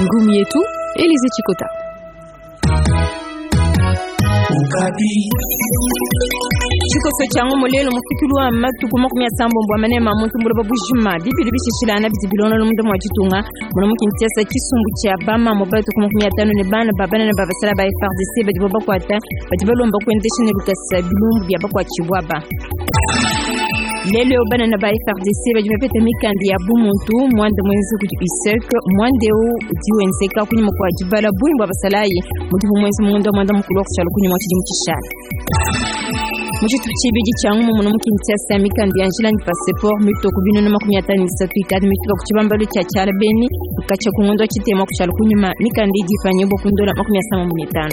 Ngumu yetu Elize Chikota. Tshikoso tshia ngumu lelo mufikilu wa matuku 30 a manema muntu buloba bujima bibili bishishilana bidi bilongolola munda mua ditunga muna mu Kinshasa tshisumbu tshia bamamu batuku 50 ne bana ba banene ba basala ba FARDC badibo bakuata badi balomba kuendesha ne lukasa bilumbu bia bakuatshibua ba lelo eu banene ba FARDC badi bapeta mikanda ya bumuntu muanda muenza kudi USEC muanda eu udi wenzeka kunyima kua dibala bungi bua basalayi mudibu muenza mu ngondo wa muanda mukulu wa kushala kunyima wa tshidimu tshishala. Mu tshitupa tshibidi tshia ngumu muno mu Kinshasa mikanda ya njila ne passeport mitue ku 53 ikadi mifika ku tshibambalu tshia tshiala beni katshia ku ngondo wa tshitema kushala kunyima mikanda idi ipanyibua ku ndola 75.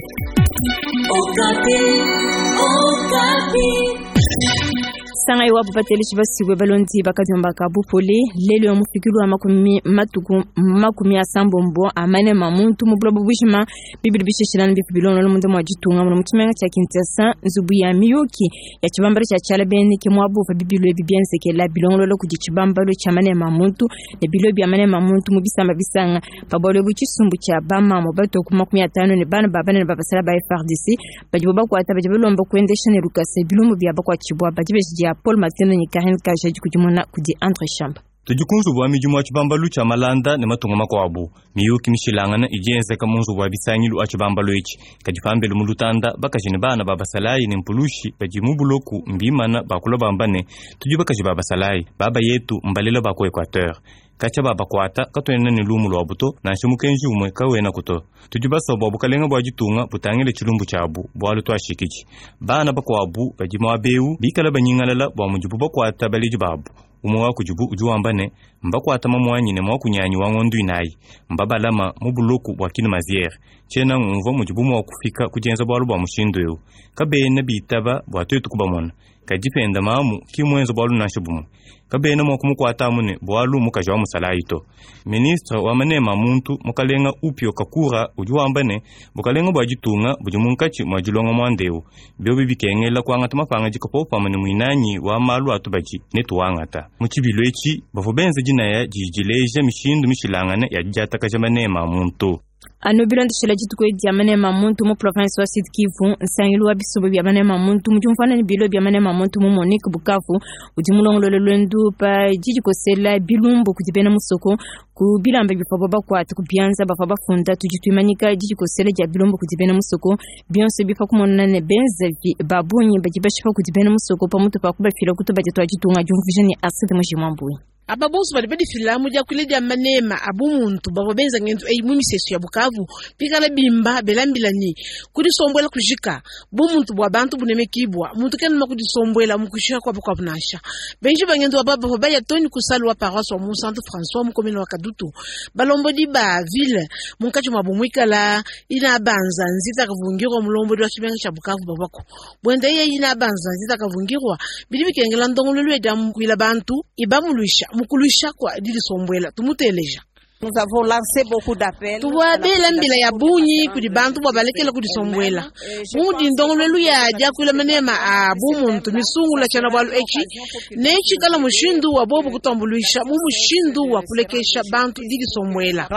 Sangayi wabu bateleji basibue balondi bakadiomba ka bupole lelu ya mufikilu wa makumi matuku 80 a manema muntu mu buloba bujima bibili bishishilana bifu bilongolola munda mua ditunga muno mu tshimenga tshia Kinshasa nzubu ya miyuki ya tshibambalu tshia tshiala beni ke muabu uvua bibilu ebi bienzekela bilongolola kudi tshibambalu tshia manema muntu ne bilo bia manema muntu mu bisamba bisanga pa bualu ebu tshisumbu tshia bamamu batue ku 50 ne bana ba banene ba basala ba FARDC badibo bakuata badi balomba kuendesha ne lukasa bilumbu bia bakuatshibua badi beji dia Paul Matendo ne Karine Kaja dikudimuna kudi Andre Shamba. Tudi ku nzubu wa midimu wa tshibambalu tshia malanda ne matunga makuabu. Miyuki mishilangane idi yenzeka mu nzubu wa bisangilu a tshibambalu etshi. Kadi pambelu mu lutanda, bakaji ne bana ba basalayi ne mpulushi badi mu buloku mbimana bakula bamba ne, Tudi bakaji ba basalayi, baba yetu mbalela ba ku Equateur. Katshia babakuata, katuena ne lumu luabu to, nansha mukenji umue kawenaku to. Tudi basue bua bukalenga bua ditunga butangile tshilumbu tshiabu, bualu tuashikidi. Bana bakuabu badi muaba eu bikale banyingalala bua mudibu bakuata baledi babu. Umue wa kudibu udi wamba ne, Mbakuata mamuanyi ne muakunyanyi wa ngondo inayi. Mbabalama mu buloku bua Kine-Maziere. Tshiena ngumvua mudibu mua kufika ku dienza bualu bua mushindu eu. Kabena bitaba bua tuetu kubamona. Kadi penda mamu ki muenze bualu nansha bumue. Kabena mua kumukuata amu ne bualu mukaji wa musalayi to. Ministre wa manema a muntu, mukalenga Upio Kakura udi wamba ne, bukalenga bua ditunga budi munkatshi mua dilonga muanda eu. Biobi bikengela kuangata mapangadika popamue ne muinanyi wa malu a tubadi, netuangata. Mu tshibilu etshi, bavua benza dinaya didi dileja mishindu mishilangane ya didiatakaja manema a muntu. Anu bilondeshela dituku edi dia manema a muntu mu province wa Sud Kivu, nsangilu wa bisumbu bia manema a muntu mu diumvuana ne bilo bia manema a muntu mu Monique Bukavu udi mulongolole luendu pa didikosela bilumbu kudi bena musoko ku bilamba bivuabu bakuate ku bianza bavua bafunda tudi tuimanyika didikosela dia bilumbu kudi bena musoko bionso ebi pa kumona ne benzavi ba bungi badi bashipa kudi bena musoko pamutu pa kubafila ku tubadi tua ditunga diumvuija ne Arcide Mujimwambuyi. Aba bonso badi badifila mu diakuila dia manema a bumuntu bavua benza ngendu eyi mu misesu ya Bukavu bikala bimba bela mbila ne, Kudisombuela kujika, bumuntu bua bantu bunemekibua, muntu kena mua kudisombuela mu kushiha kua bakuabu nansha. Benji ba ngendu aba bavua baya too ne ku salle wa paroisse wa Munsantu François mu commune wa Kadutu. Balombodi ba ville munkatshi muabu muikala Ina Banza Nzita Kavungirwa mulombodi wa tshimenga tshia Bukavu bavuaku Buenda yeye inabanza nzita kavungirwa bidi bikengela ndongoluelu ya diambuila bantu ibambuluisha mu kuluisha kua didisombuela. Tumuteleja. Tuvua bela mbila ya bungi kudi bantu bua balekele kudisombuela. Bu mudi ndongoluelu ya diakuila manema a bumuntu misungula tshiena-bualu etshi, netshikala mushindu wa bobu kutuambuluisha mu mushindu wa kulekesha bantu didisombuela.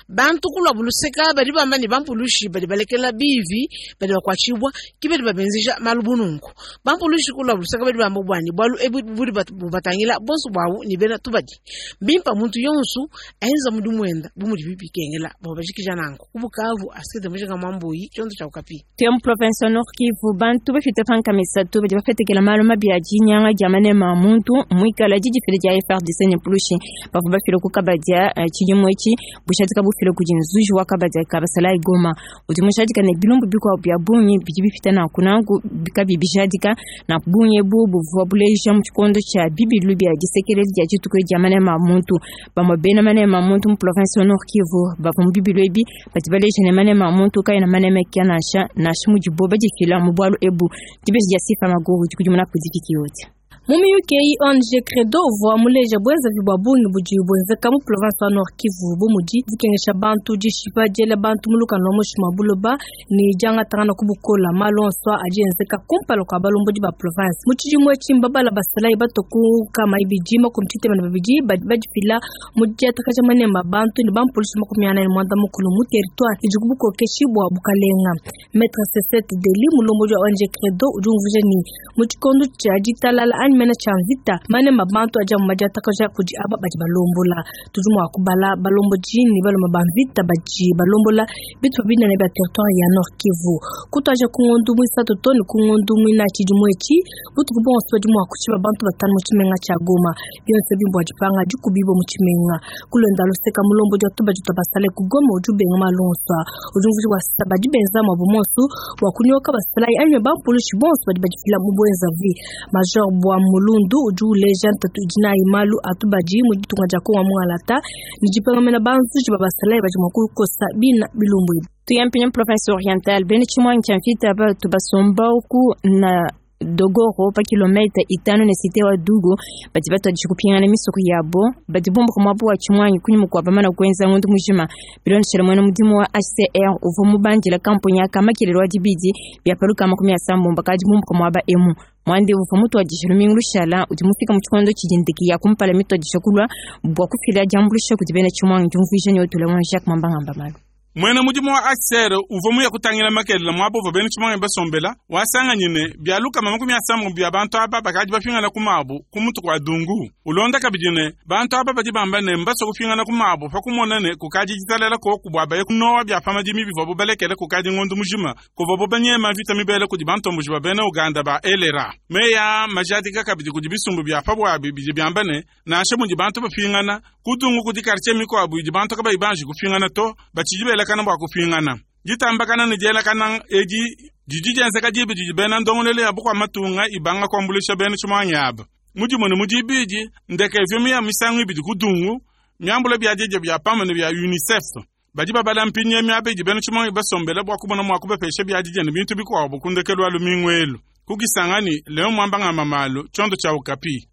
Bantu ku luabu luseka badi bamba ne, bampulushi badi balekela biivi badi bakuatshibua ke badi babenzeja malu bu nunku. Bampulushi ku luabu luseka badi bamba bua ne, bualu ebu budi bubatangila bonso buabu ne bena tubadi. Mbimpe muntu yonso enza mudimu wenda bu mudibi bikengela bua bajikija nanku. Ku Bukavu, Astrid Mujinga Mwambuyi, tshiondo tshia Okapi. Tuya mu province wa Nord Kivu, bantu bapite pa nkama isatu badi bapetekela malu mabi a dinyanga dia manema a muntu muikala didifila dia FARDC ne mpulushi bavua bafile ku kabadia eh, tshidimu etshi bushadika bufile kudi nzuji wa kabadia ka basalayi Goma udi mushadika ne bilumbu bikuabu bia bungi bidi bipita nanku nanku kabi bijadika na bungi ebu buvua buleja mu tshikondo tshia bibilu bia disekeledi dia dituku dia manema a muntu bamue bena manema a muntu mu province wa Nord Kivu bavua mu bibilu ebi Badi baleja ne manema a muntu kaena manemeka nansha, nansha mudibo badifila mu bualu ebu. Dibeji dia Sifa Maguru dikudimuna kudi Vicky Oti. Mu miyuki eyi, ONG Credo uvua muleja buenzavi bua bungi budi buenzeka mu province wa Nord Kivu, bu mudi dikengesha bantu, dishipa, diela bantu mu lukanu lua muinshi mua buloba ne diangatangana ku bukola. Malu onso aa adi enzeka kumpala kua balombodi ba province. Mu tshidimu etshi, mbabala basalayi batue ku 262 badi badifila mu didiatakaja maneme a bantu ne bampulushi 45 mu territoire idi ku bukokeshi bua bukalenga. Maitre Cecette Deli, mulombodi wa ONG Credo, udi umvuija ne, mu tshikondo tshia ditalala anyi mene tshia mvita, maneme a bantu adi amu madiatakaja kudi aba badi balombola. Tudi mua kubala balombodi ne balume ba mvita badi balombola bitupa binene bia territoire ya Nord Kivu. Kutuadija ku ngondo muisatu too ne ku ngondo muinayi tshidimu etshi, butuku buonso badi mua kushipa bantu batanu mu tshimenga tshia Goma. Bionso ebi mbua dipanga dikubibua mu tshimenga. Ku luenda luseka, mulombodi wa tubadi tua basalayi ku Goma udi ubenga malu onso aa. Udi umvuija bua se, badi benza muabu muonso bua kunyoka basalayi anyi bampulushi bonso badi badifila mu buenzavi. Major Bua Mulundu udi uleja ntatu idi nayi malu a tubadi mu ditunga dia Kongo wa Mungalata ne dipengamena banzuji ba basalayi badi mua kukosa bina bilumbu ebi. Tuya mpindieu mu province Oriental, bena tshimuangi tshia mvita batu basomba ku na Dogoro pa kilometa itanu ne cite wa Dugu badi batuadija kupingana misoko yabo. Badi bumbuka muaba wa tshimuangi kunyima kua bamana kuenza ngondo mujima. Bilondeshile muena mudimu wa HCR uvua mubandila kamponya aka makelele wa dibidi bia pa lukama 30 bakadi bumbuka muaba emu. Muanda eu uvua mutuadije lumingu lushala udi mufika mu tshikondo tshidi ndeke ya kumpala mituadija kulua bua kufila diambuluisha kudi bena tshimuangi, diumvuija ne Otula Jacques Mwamba ngamba malu. Muena mudimu wa HCR uvua muye kutangila makelela muaba uvua bena tshimuangi basombela, wasanganyi ne, bia 30 bia bantu aba bakadi bapingana ku mabu ku mutu kua Dungu. Ulonda kabidi ne, bantu aba badi bamba ne, mbasue kupingana ku mabu pa kumona ne, kukadi ditalala koku bua baye kunowa bia pa madimi bivuabu balekele kukadi ngondo mujima kuvuabu banyema mvita mibele kudi bantomboji ba bena Uganda ba LRA. Meyi aa majadika kabidi kudi bisumbu bia pa buabi bidi biamba ne, nansha mudi bantu bapingana ku Dungu kudi kartie mikuabu idi bantu kabayi banji kupingana to, batshidi belakana bua kupingana. Ditambakana ne dielakana edi didi dienzeka diba didi bena ndongoluelu ya bukua-matunga ibanga kuambuluisha bena tshimuangi aba. Mu dimue ne mu dibidi, ndeke ivua miya misangu ibidi ku Dungu, miambula biadidia bia pamue ne bia UNICEF. Badi babala mpindieu miaba idi bena tshimuangi basombele bua kumona mua kubapesha biadidia ne bintu bikuabu ku ndekelu wa lumingu elu. Ku Kisangani, Leon Mwamba ngamba malu, tshiondo tshia Okapi.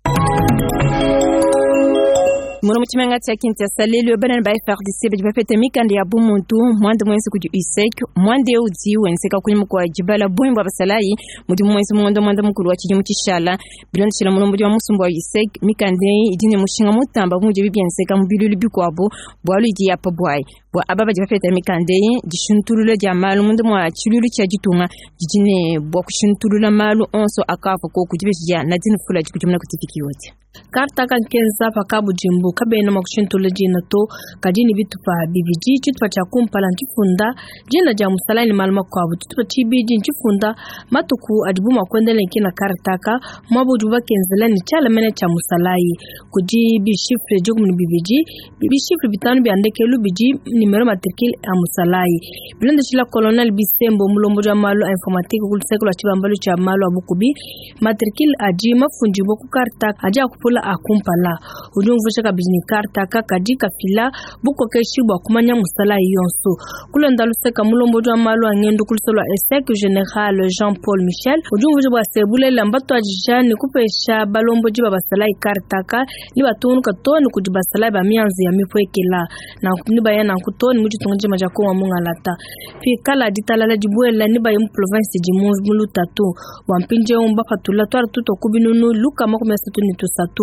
Muno mu tshimenga tshia Kinshasa lelu banene ba FARDC badi bapeta mikanda ya bumuntu muanda muenza kudi USEC. Muanda eu udi wenzeka kunyima kua dibala bungi bua basalayi mudimu muenza mu ngondo muanda mukulu wa tshidimu tshishala. Bilondeshile mulombodi wa musumba wa USEC, mikanda eyi idi ne mushinga mutamba bu mudibi bienzeka mu biluilu bikuabu bualu idi ya pa buayi. Bua aba badi bapeta mikanda eyi, dishintulula dia malu munda mua tshiluilu tshia ditunga didi ne bua kushintulula malu onso akavua koku. Dibeji dia Nadine Fula dikudimuna kudi Vicky Yote. Karta aka nkenza pa kabudimbu, kabena mua kushintulula dina to, kadi ne bitupa bibidi. Tshitupa tshia kumpala ntshifunda dina dia musalayi ne malu makuabu. Tshitupa tshibidi ntshifunda matuku adibu mua kuendela ne kina karta aka, muaba udibu bakenzela ne tshiala mene tshia musalayi. Kudi bishifre 12, bishifre bitanu bia ndekelu bidi nimero matricule a musalayi. Bilondeshila Colonel Bisembo, mulombodi wa malu a informatique ku luseke lua tshibambalu tshia malu a bukubi, matricule adi mafundibue ku karta adi akupula a kumpala. Udi umvuija kabidi ne karta aka kadi kafila bukokeshi bua kumanya musalayi yonso. Kulonda luseka mulombodi wa malu a ngendu ku luse lua ESEC, General Jean-Paul Michel, udi umvuija bua se bulelela mbatuadija ne kupesha balombodi ba basalayi karta aka ne batungunuka too ne kudi basalayi ba mianzu ya mipuekela. Nanku nebaya nanku too ne mu ditunga dijima dia Kongo wa mungalata. Pikala ditalala dibuela, nebaye mu province idi mu lutatu. Bua mpindieu mbapatula tuarte tutua ku 333.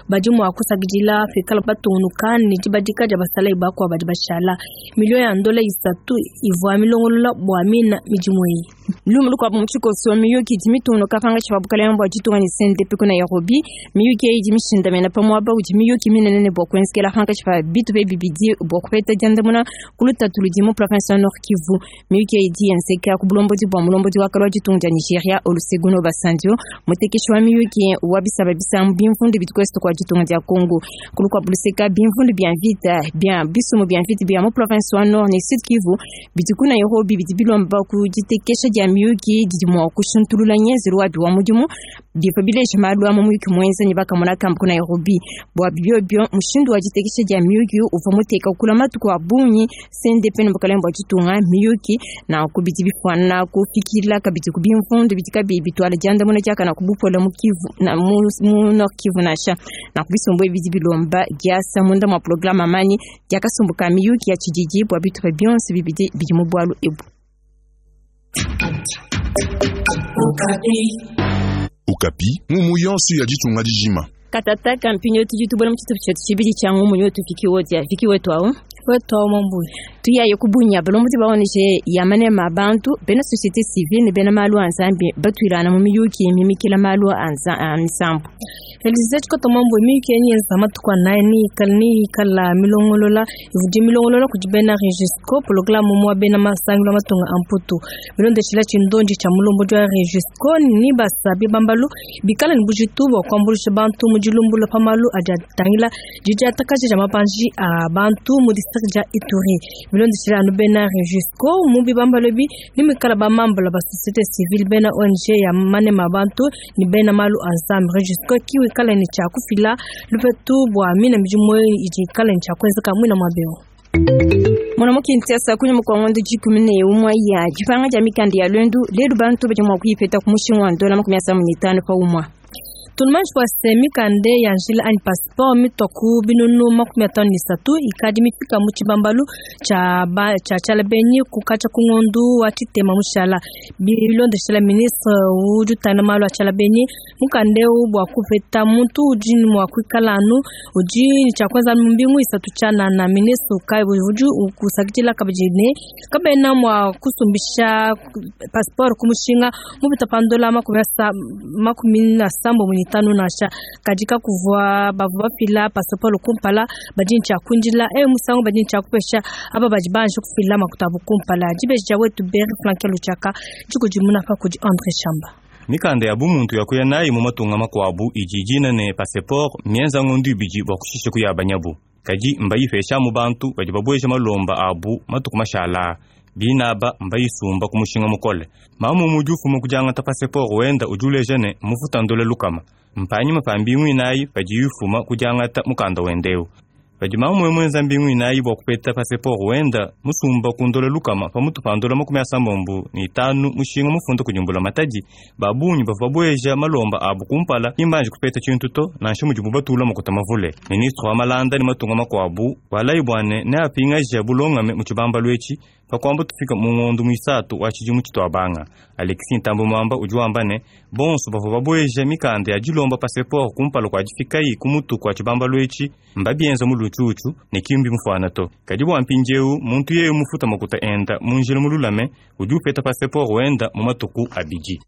Badi mua kusakidila pikala batungunuka ne dibadika dia basalayi bakuabu badi bashala. Miliyo ya ndola 3 ivua milongolola bua mina midimu eyi. Lumu lukuabu mu tshikoso, miyuki idi mitungunuka pankatshi pa bukalenge bua ditunga ne CNDP ku Nairobi. Miyuki eyi idi mishindamena pa muaba udi miyuki minene ne bua kuenzekela pankatshi pa bitupa ebi bibidi bua kupeta diandamuna ku lutatu ludi mu province wa Nord Kivu. Miyuki eyi idi yenzeka ku bulombodi bua mulombodi wa kale wa ditunga dia Nigeria Olusegun Obasanjo, mutekeshi wa miyuki wa bisamba bisangu bimvundu bidi ku est kua ditunga dia Congo. Ku lukuabu luseka, bimvundu bia mvita bia bisumbu bia mvita bia mu province wa Nord ne Sud Kivu bidi ku Nairobi bidi bilomba ku ditekesha dia miyuki didi mua kushintulula ngenzelu wabi wa mudimu. Bivua bileja malu a mu muyuki muenza ne bakamona kamba ku Nairobi. Bua biobio, mushindu wa ditekesha dia miyuki uvua muteka kula matuku a bungi CNDP ne bukalenge bua ditunga miyuki nanku bidi bifuana kufikila kabidi ku bimvundu bidi kabiyi bituala diandamuna diakana ku bupole mu Kivu na mu, mu Nord Kivu nansha. Nanku bisumbu ebi bidi bilomba diasa munda mua programe amani dia kasumbu ka miyuki ya tshididi bua bitupa bionso bibidi bidi mu bualu ebu. Okapi, ngumu yonso ya ditunga dijima. Katataka mpinyo tudi tubona mu tshitupa tshietu tshibidi tshia ngumu yo tufiki wodia fiki wetu awu wetu awu mambuyi tuyaye kubunya balombodi ba ONG ya manema a bantu bena société civile ne bena malu a nzambi batuilana mu miyuki mimikila malu a nza- a misambu. Elize tshikoto mambo miyuki yenyenza matuku anayi ni ikala milongolola ivudi milongolola kudi bena Regisco programme mwa bena masangilu a matunga a Mputu bilondeshila tshindondi tshia mulombodi wa Regisco ni basabi bambalu bikala ni bujitu bua kuambuluisha bantu mu dilumbula pa malu adi atangila didiatakaja dia mabanji a bantu mu district dia Ituri bilondeshila anu bena Regisco mu bibambalu ebi ni mikala ba mambula ba société civile bena ONG ya manema bantu ni bena malu a nzambi Regisco kiwikala ni tshia kufila lupetu bua mina midimu idi ikala ni tshia kuenzeka mwina mwabeo. Mwana Kinshasa kunyuma kua ngondo 11 ya dipanga dia mikanda ya lwendu lelu bantu badi mua kuyipeta ku mushinga wa ndola 55 pa umwa. Tunumanji bua se mikanda ya njila anyi passeport mitua ku binunu 53 ikadi mifika mu tshibambalu tshia ba- tshia tshialabenyi kukatshia ku ngondu wa tshitema mushala bilondeshela ministre udi utangila malu a tshialabenyi mukanda eu bua kupeta muntu udi ne mua kuikala anu udi ne tshia kuenza anu mu mbingu isatu tshianana ministre ukai udi ukusakidila kabidi ne kabena mua kusumbisha passeport ku mushinga mupita pa ndola 65 nansha kadi kakuvua bavua bafila passeport kumpala badi ne tshia kuindila eyo musangu badi ne tshia kupesha aba badi banji kufila makuta abu kumpala dibeji dia wetu Beri Frank Luchaka dikudimuna pa kudi Andre Shamba. Mikanda ya bumuntu ya kuya nayi mu matunga makuabu idi dina ne passeport mienza ngondu ibidi bua kushisha kuyabanyabu kadi mbayipesha mu bantu badi babueja malomba abu matuku mashala binaba mbayisumba ku mushinga mukole mamu mudi ufuma kudiangata passeport wenda udi uleja ne mufuta ndola lukama mpanyima pa mbingu inayi padi yufuma kudiangata mukanda wendeu padi mamu mwenza mbingu inayi bua kupeta passeport wenda musumba ku ndola lukama pamutu pa ndola 75 mushinga mufunda kudimbula matadi babunyi bavua babueja malomba abu kumpala imbanji kupeta tshintu to nansha mudibu batula makuta mavule ministre wa malanda ne matunga makuabu walayi bwane neapingaja bulongame mu tshibambalu etshi pakuamba tufika mu ngondu muisatu wa tshidimu tshituabanga Alexis Ntambo Mwamba udi wamba ne bonso bavua babueja mikanda ya dilomba passeport kumpala kua difikayi ku mutu kua tshibambalu etshi mbabienza mu lutshutshu ne kimbi mufuana to kadi bua mpindiewu muntu yeye mufuta makuta enda mu njila mululame udi upeta passeport wenda mu matuku abidi.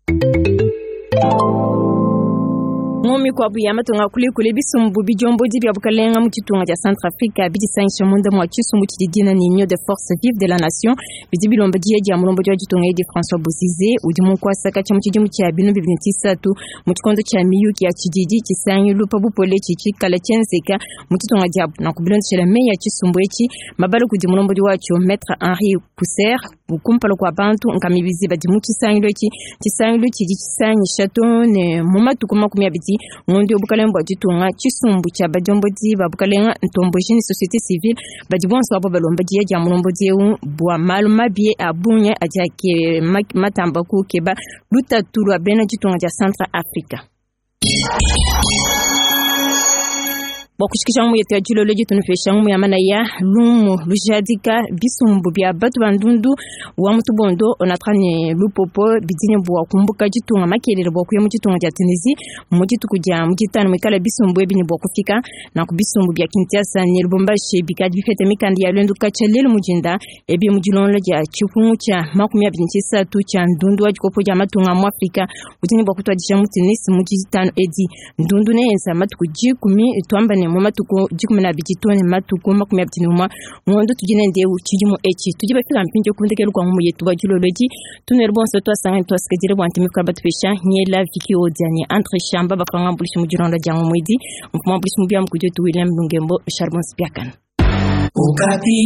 Ngumi kuabu ya matunga kulikuli bisumbu bijomboji bya bukalenga mu tshitunga tshia Centrafrique bidisangisha munda mua tshisumbu tshidi dina ni Union de Forces Vives de la Nation bidi bilomba diya dia mulombodi wa ditunga edi François Bozize udi mu nkuasaka tshia mu tshidimu tshia binu bibidi ne tshisatu mu tshikondo tshia miyuki ya tshididi tshisangilu pa bupole tshitshikala tshienzeka mu tshitunga diabu nanku bilondeshela meyi ya tshisumbu etshi mabala kudi mulombodi watshio Maître Henri Pousser kumpala kua bantu nkamibizi badi mu tshisangilu etshi tshisangilu tshidi tshisangisha to ne mu matuku 20 ngondo ya bukalenga bua ditunga tshisumbu tshia badiombodi ba bukalenga ntomboji ne société civile badi bonso abo balomba diya dia mulombodi eu bua malu mabi a bungi adi ake matamba kukeba lutatu lua bena ditunga dia Central Africa. Bua kushikisha ngumu yetu ya dilolo ditunupesha ngumu ya manaya lumu lujadika bisumbu bia batu ba ndundu wa mutubondo onatra ne lupopo bidine bua kumbuka ditunga makelele bua kuya mu ditunga dia Tunisie mu dituku dia mu ditanu muikala bisumbu ebi ne bua kufika nanku bisumbu bia Kinshasa ne Lubumbashi bikadi bipete mikanda ya lwendu katshia lelu mujinda ebi mu dilongolo dia tshipungu tshia 23 tshia ndundu wa dikopo dia matunga mu Afrika udi ne bua kutuadija mu Tunis mu ditanu edi ndundu neyenza matuku 10 tuamba ne mu matuku 12 to ne matuku 21 ngondo tudi nende tshidimu etshi tudi bafika mpindieu kundekelu kua ngumu yetu wa dilolo edi tunwele bonso twasanga twasikadile bua ntimi batupesha nyela viki odiani entre shamba bakangambuluisha mu dilonda dia ngumu edi mfumambuluisha mu biamu kudi wetu William Lungembo Charbon Spiakana. Okapi.